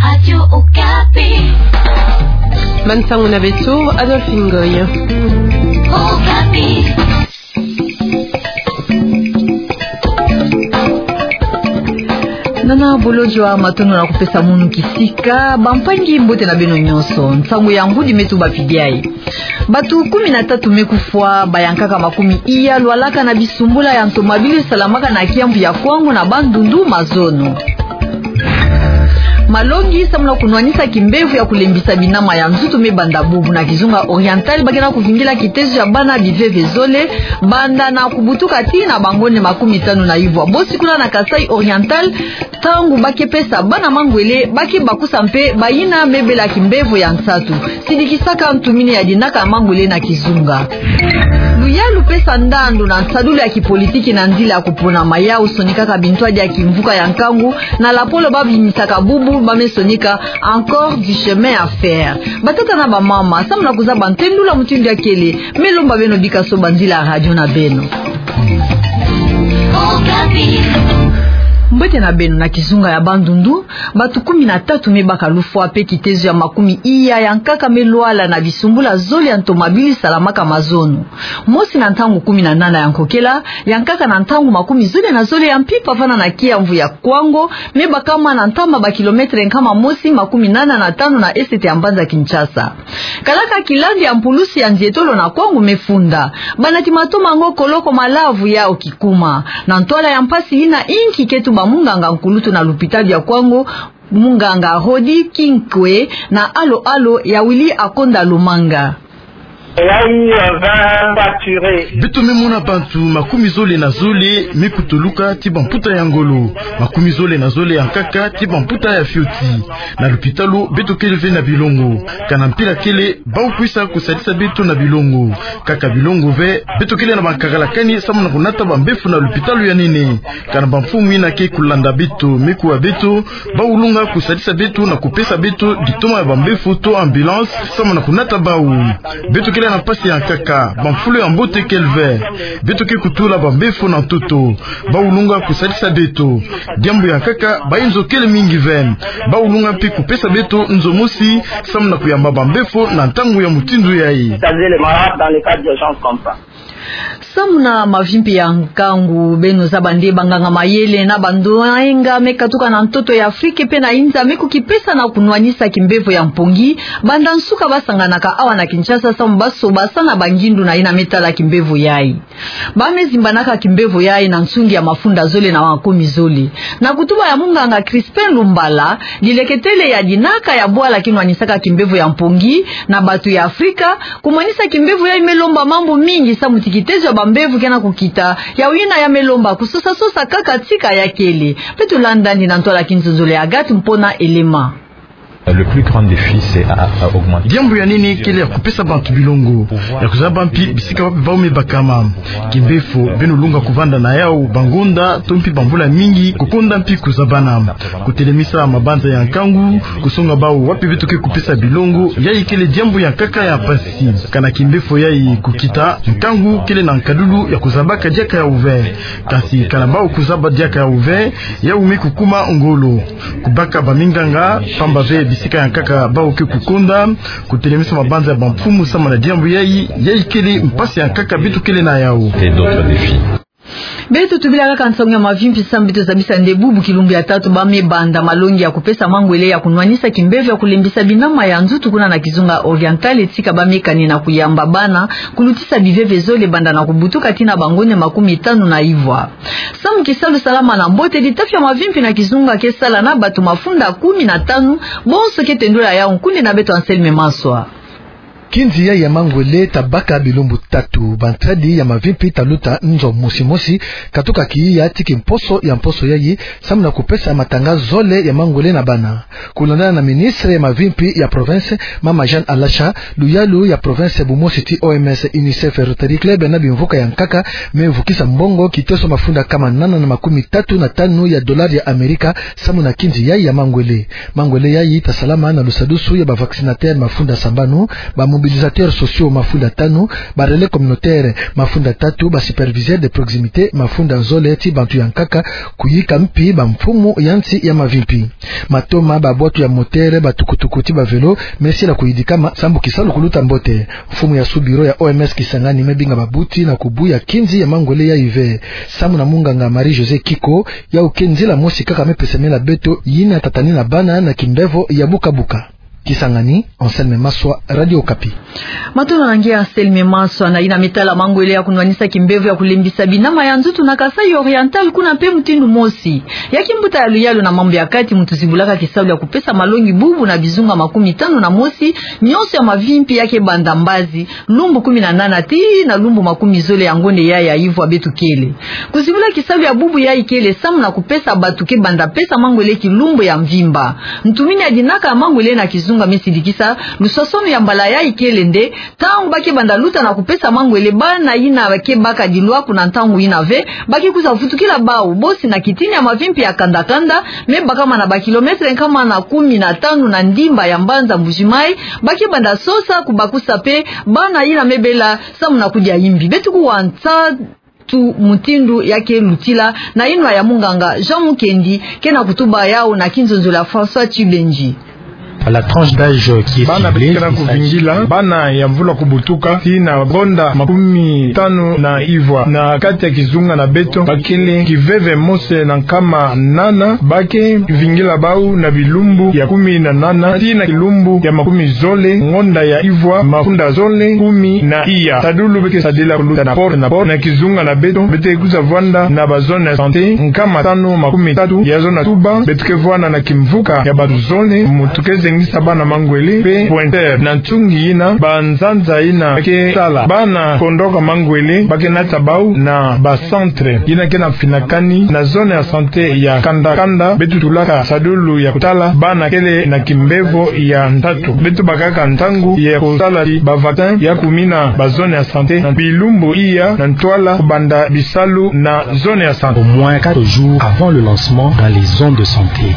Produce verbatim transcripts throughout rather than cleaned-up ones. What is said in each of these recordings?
Radio Okapi. Bansangu na beto, Adolphine Ngoy. Okapi. Nana bolodjwa, matondo na kupesa munu kisika. Bampangi, mbote na beno nyonso. Nsangu ya ngudi me tubapidi yayi. Bato kumi na tatu me kufwa, bayankaka makumi iya lwalaka na bisumbula ya ntomabili salamaka na kiamvu ya Kwango na Bandundu mazono. Malongi samu na kunwanisa kimbevo ya kulembisa binama ya nzutu me banda bubu. Na kizunga Oriental, ba ke na kuvingila kitezo ya bana biveve zole, banda na kubutuka tii na bangonde makumi tanu na ivwa. Bosi kuna na Kasaï Oriental, ntangu ba ke pesa bana mangwele, ba ke bakusa mpe bayina me bela kimbevo ya nsatu. Sidikisaka ntumini ya dinaka mangwele na kizunga. Luyalu pesa ndandu na nsadulu ya kipolitiki na nzila ya kupona mayau sonikaka bintwadi ya kimvuka ya nkangu, na lapolo ba bimisaka bubu ba me sonika encore du chemin à faire. Batata na bamama, samu na kuzaba ntendu la mutindu ya kele, me lomba beno bika soba nzila ya radio na beno. Mbote na beno. Na kizunga ya Bandundu, bato kumi na tatu me baka lufwa mpe kitezo ya makumi iya ya nkaka me lwala na bisumbula zole ya ntomabili salamaka mazono. Mosi na ntangu kumi na nana ya nkokela, ya nkaka na ntangu makumi zole na zole ya mpimpa vana na kiamvu ya Kwango, me bakama na ntama ba kilometre nkama mosi makumi nana na tano na esete ya mbanza Kinshasa. Kalaka kilandi ya mpulusi ya nzietolo na Kwango me funda. Bana ti matoma ngo koloko malavu yau kikuma. Na ntwala ya mpasi yina inki ke tuba munganga nkulutu na lupitalu ya Kwango, munganga Rodi Kinkwe na alo alo ya Willy Akonda Lomanga. Beto me mona bantu makumi zole na zole me kutuluka ti bamputa ya ngolo, makumi zole na zole ya nkaka ti bamputa ya fioti. Na lupitalu beto kele ve na bilongo. Kana mpila kele bau kwisa kusadisa beto na bilongo. Kaka bilongo ve, beto kele na bankakalakani samu na kunata bambefo na lupitalu ya nene. Kana bamfumu yina ke kulanda beto me kuwa beto, bau lunga kusadisa beto na kupesa beto ditoma ya bambefo to ambulance samu na kunata bau. Beto kele na mpasi ya nkaka, bamfulu ya mbote kele ve. Beto ke kutula bambefo na ntoto. Bau lunga kusadisa beto. Diambu ya nkaka, bayinzo kele mingi ve. Bau lunga mpe kupesa beto nzo mosi samu na kuyamba bambefo na ntangu ya mutindu yayi. Samu na mavimpi ya nkangu, beno zaba nde banganga mayele na bandoenga me katuka na ntoto ya Afrika mpe na inza me kukipesa na kunwanisa kimbevo ya mpongi. Banda nsuka ba sanganaka awa na Kinshasa samu ba sobasana bangindu na yina me tala kimbevo yayi. Ba me zimbanaka kimbevo yayi na nsungi ya mafunda zole na makumi zole. Na kutuba ya munganga Crispin Lumbala, dileketele ya dinaka ya bwala kinwanisaka kimbevo ya mpongi na bato ya Afrika, kumwanisa kimbevo yayi me lomba mambu mingi samu ti kitezo ya bambevo ke na kukita, yau yina ya me lomba kusosasosa kaka tika ya kele. Beto landa yandi na ntwala kinzonzolo ya Agathe Mpona Elema. Le plus grand défi, c'est à, à augmenter. Diambu ya nene kele ya kupesa bantu bilongo, ya kuzaba mpi bisika wapi bau me bakama. Kimbefo, beno lunga kuvanda na yau bangonda to mpi bamvula mingi, kukonda mpi kuzabana. Kutelemisa mabanza ya nkangu, kusonga bau wapi beto ke kupesa bilongo, yayi kele diambu ya nkaka ya mpasi. Kana kimbefo yayi kukita, nkangu kele na nkadulu ya kuzabaka diaka yau ve. Kasi kana bau kuzaba diaka yau ve, yau me kukuma ngolo. Kubaka baminganga, pamba ve bisika ya nkaka bau ke kukonda, kutelemisa mabanza ya bamfumu samu na diambu yayi, yayi kele mpasi ya nkaka beto kele na yau. Et d'autres défis. Beto tubila kaka nsangu ya mavimpi samu beto zabisa nde bubu kilumbu ya tatu ba me banda malongi ya kupesa mangwele ya kunwanisa kimbefo ya kulembisa binama ya nzutu kuna na kizunga Oriental, etika ba me kani na kuyamba bana kulutisa biveve zole banda na kubutuka tii na bangonda makumi tanu na ivwa. Samu kisalu salama na mbote, litafi ya mavimpi na kizunga ke sala na bato mafunda kumi na tanu, bonso ke tendula yau nkundi na beto Anselme Maswa. Kinzi yayi ya mangwele ta baka bilumbu tatu, bantadi ya mavimpi ta luta nzo mosi mosi, katuka kiya tii kimposo ya mposo yayi, samu na kupesa matanga zole ya mangwele na bana. Kulandana na ministre ya mavimpi ya province, mama Jeanne Alasha, luyalu ya province bumosi ti O M S, UNICEF, Rotary Club na bimvuka ya nkaka me vukisa mbongo kiteso mafunda kama nana na makumi tatu na tanu ya dolari ya Amerika samu na kinzi yayi ya mangwele. Mangwele yayi ta salama na lusadusu ya ba vaccinateur mafunda sambanu, ba Mobilisateurs sociaux mafunda tanu, ba relais communautaires mafunda tatu, ba superviseurs de proximité mafunda zole, ti bantu ya nkaka kuyika mpi bamfumu ya nsi ya mavimpi. Matoma, babwatu ya moteur, batukutuku ti bavelo mesila kuyidikama sambu kisalu kuluta mbote. Mfumu ya sous-bureau ya O M S Kisangani mebinga babuti na kubuya kinzi ya mangwele yayi ve. Samu na munganga Marie-Josée Kiko, yau ke nzila mosi kaka mepesemela beto yina tatani na bana na kimbevo ya buka-buka. Kisangani, Anselme Maswa, Radio Okapi. Matondo na nge Anselme Maswa. Na yina metala mangwele ya kunwanisa kimbevo ya kulembisa binama ya nzutu na Kasaï Oriental, kuna mpe mutindu mosi. Ya kimbuta ya luyalu na mambu ya kati mutu zibulaka kisalu ya kupesa malongi bubu na bizunga makumi tanu na mosi nyonso ya mavimpi ya ke banda mbazi, lumbu kumi na nana tii na lumbu makumi zole ya ngonde yayi ya ivwa beto kele. Kuzibula kisalu ya bubu yayi kele samu na kupesa bato ke banda pesa mangwele kilumbu ya mvimba. Ntumini ya dinaka ya mangwele na kizunga mesidikisa luswaswanu ya mbala yayi kele nde, ntangu ba ke banda luta na kupesa mangwele, bana yina ba ke baka dilwaku na ntangu yina ve, ba ke kwiza vutukila bau bosi na kitini ya mavimpi ya kanda-kanda, mebakama na ba kilomètre nkama na kumi na tanu na ndimba ya mbanza Mbuji-Mayi, ba ke banda sosa kubakusa mpe bana yina mebela samu na kudia imbi. Beto kuwa nsatu mutindu ya ke lutila na yinwa ya munganga Jean Mukendi, ke na kutuba yau na kinzonzolo ya François Tchibenji. La tranche d'âge qui est ciblée, il s'agit... Bana beto ke na kuvingila bana ya mvula kubutuka tii na ngonda makumi tanu na ivwa. Na kati ya kizunga na beto, ba kele kiveve mose na nkama nana, ba ke vingila bau na bilumbu ya kumi na nana tii na kilumbu ya makumi zole ngonda ya ivwa, mafunda zole kumi na iya. Sadulu be ke sadila kuluta na porte na porte. Na kizunga na beto, beto ke kwiza vwanda na ba zone ya santé nkama tanu makumi tatu. Ya zona tuba, beto ke vwanda na kimvuka ya bato zole, mutu ke zengisa bana mangwele mpe pointeur. Na ntungi yina, banzanza yina ke sala bana kondoka mangwele, ba ke nata bau na ba centre yina ke na finakani na zone ya santé ya kanda-kanda. Beto tulaka sadulu ya kutala bana kele na kimbevo ya ntatu. Beto bakaka ntangu ya kutala ti ba vaccin ya kumina ba zone ya santé na bilumbu iya na ntwala kubanda bisalu na zone ya santé. Au moins quatre jours avant le lancement dans les zones de santé.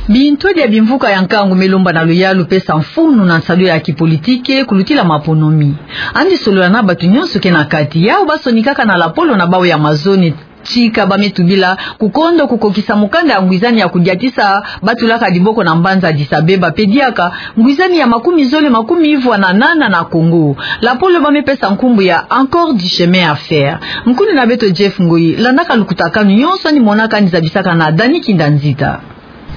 Bintwadi ya bimvuka ya nkangu melomba na luyalu pesa mfunu na nsadulu ya kipolitike kulutila maponomi. Yandi solola na bato nyonso ke na kati, yau ba sonikaka na lapolo na bau ya mazone, tika ba me tubila kukondo kukokisa mukanda ya ngwizani ya kudiatisa ba tulaka diboko na mbanza Addis-Abeba, mpe diaka ngwizani ya makumi zole makumi ivwa na nana na Congo. Lapolo ba me pesa nkumbu ya Encore du chemin à faire. Nkuni na beto Jeff Ngoyi landaka lukutakanu nyonso yandi monaka, yandi zabisaka na Dani Kinda Nzita.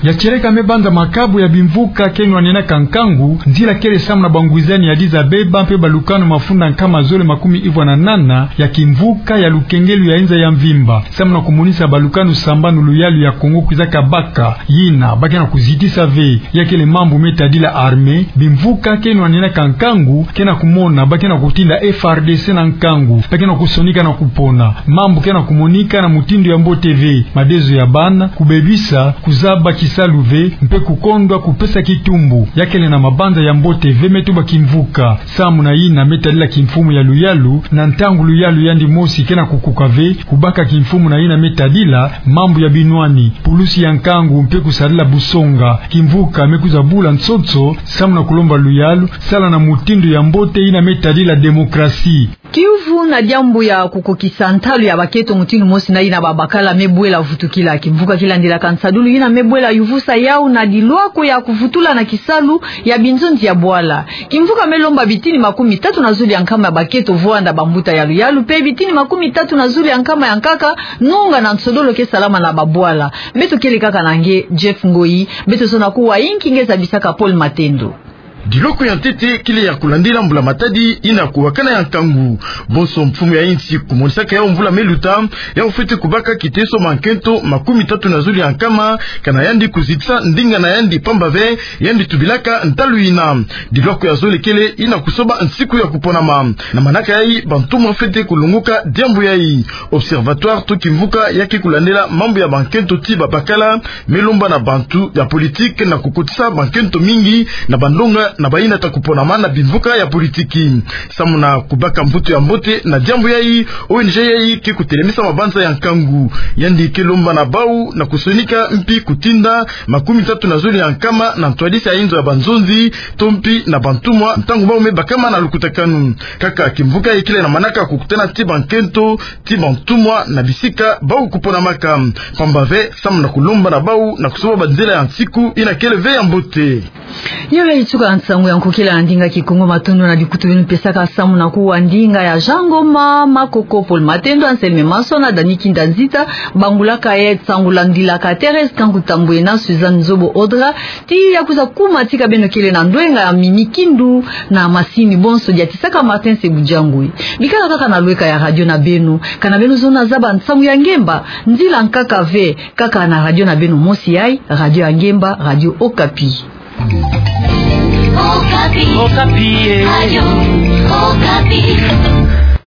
Ya tieleka me banza makabu ya bimvuka ke nwaninaka nkangu, nzila kele samu na bangwizani ya Addis-Abeba mpe balukanu mafunda nkama zole makumi ivwa na nana ya kimvuka ya lukengelu ya inza ya mvimba, samu na kumonisa balukanu sambanu luyalu ya Congo kwizaka baka, yina ba ke na kuzitisa ve. Ya kele mambu me tadila armée. Bimvuka ke nwaninaka nkangu ke na kumona ba ke na kutinda F R D C na nkangu, ba ke na kusonika na kupona. Mambu ke na kumonika na mutindu ya mbote ve: madezo ya bana, kubebisa, kuzaba kisalu ve, mpe kukondwa kupesa kitumbu. Ya kele na mabanza ya mbote ve, me tuba kimvuka. Samu na yina me tadila kimfumu ya luyalu, na ntangu luyalu yandi mosi ke na kukuka ve, kubaka kimfumu na yina me tadila mambu ya binwani, pulusi ya nkangu mpe kusadila busonga. Kimvuka me kwiza bula nsotso samu na kulomba luyalu, sala na mutindu ya mbote yina me tadila démocratie. Kiuvu na diambu ya kukokisa ntalu ya bakento mutindu mosi na yina babakala me bwela vutukila. Kimvuka ki landilaka nsadulu yina me bwela yuvusa yau na dilwako ya kuvutula na kisalu ya binzonzi ya bwala. Kimvuka me lomba bitini makumi tatu na zulu ya nkama ya bakento vwanda bambuta ya luyalu, mpe bitini makumi tatu na zulu ya nkama ya nkaka nunga na nsodolo ke salama na babwala. Beto kele kaka na nge Jeff Ngoyi, beto zona kuwa inki nge zabisaka Paul Matendo. Dilwako ya ntete kele ya kulandila mbula-matadi yina kuwakana ya nkangu. Bonso mfumu ya insi kumonisaka yau mvula me luta, yau fwete kubaka kiteso mankento makumi tatu na zulu ya nkama, kana yandi kuzitisa ndinga na yandi pamba ve, yandi tubilaka ntalu yina. Dilwako ya zole kele yina kusoba nsiku ya kuponama. Na manaka yayi, bantumwa fwete kulongoka diambu yayi. Observatoire to kimvuka ya ke kulandela mambu ya bankento ti babakala me lomba na bantu ya politique na kukotisa bankento mingi na bandonga na bayina ta kuponama na bimvuka ya politiki. Samu na kubaka mvutu ya mbote na diambu yayi, O N G yayi ke kutelemisa mabanza ya nkangu. Yandi ke lomba na bau na kusonika mpi kutinda makumi tatu na zole ya nkama na ntwadisi ya inzo ya banzonzi, to mpi na bantumwa, ntangu bau me bakama na lukutakanu. Kaka kimvuka yayi kele na manaka kukutana ti bankento, ti bantumwa na bisika bau kuponamaka. Pamba ve, samu na kulomba na bau na kusoba banzila ya nsiku yina kele ve ya mbote. Yo yayi tuka nsangu ya nkokila na ndinga Kikongo. Matondo na bikutu beno pesaka samu na kuwa ndinga ya Jean Ngoma, Makoko, Paul Matendo, Anselme Masona, Dani Kinda Nzita, bangulaka ye nsangu landilaka Thérèse Kangu Tambwe na Suzanne Nzobo Audra, ti ya kwiza kuma tika beno kele na ndwenga ya Mimi Kindu, na masini bonso diatisaka Martin Sebujangwe. Bikala kaka na lweka ya radio na beno, kana beno zona zaba nsangu ya ngemba, nzila nkaka ve, kaka na radio na beno mosi yayi, Radio ya Ngemba, Radio Okapi. Okapi. Okapi, eh. Radio Okapi.